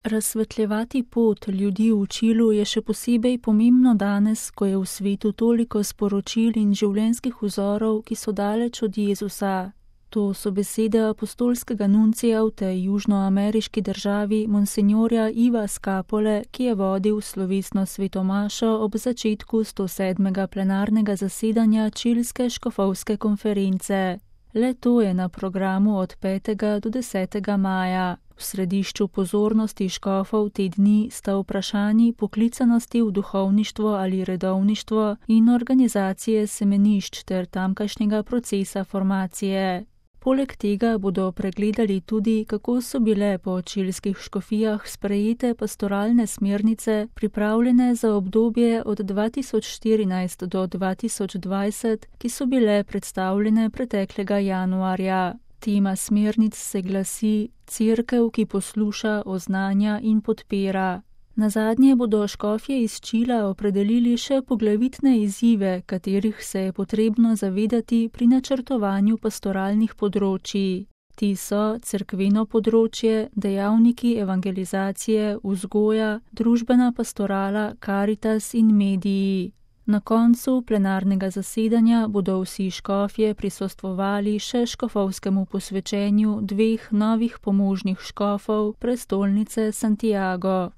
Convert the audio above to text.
Razsvetljevati pot ljudi v Čilu je še posebej pomembno danes, ko je v svetu toliko sporočil in življenjskih vzorov, ki so daleč od Jezusa. To so besede apostolskega nuncija v tej južnoameriški državi monsinjorja Iva Skapole, ki je vodil slovesno svetomašo ob začetku 107. plenarnega zasedanja Čilske škofovske konference. Le to je na programu od 5. do 10. maja. V središču pozornosti škofov te dni sta vprašanji poklicanosti v duhovništvo ali redovništvo in organizacije semenišč ter tamkajšnjega procesa formacije. Poleg tega bodo pregledali tudi, kako so bile po čilskih škofijah sprejete pastoralne smernice, pripravljene za obdobje od 2014 do 2020, ki so bile predstavljene preteklega januarja. Tema smernic se glasi Cerkev, ki posluša, oznanja in podpira. Nazadnje bodo škofje iz Čila opredelili še poglavitne izzive, katerih se je potrebno zavedati pri načrtovanju pastoralnih področij. Ti so cerkveno področje, dejavniki evangelizacije, vzgoja, družbena pastorala, karitas in mediji. Na koncu plenarnega zasedanja bodo vsi škofje prisostvovali še škofovskemu posvečenju 2 novih pomožnih škofov prestolnice Santiago.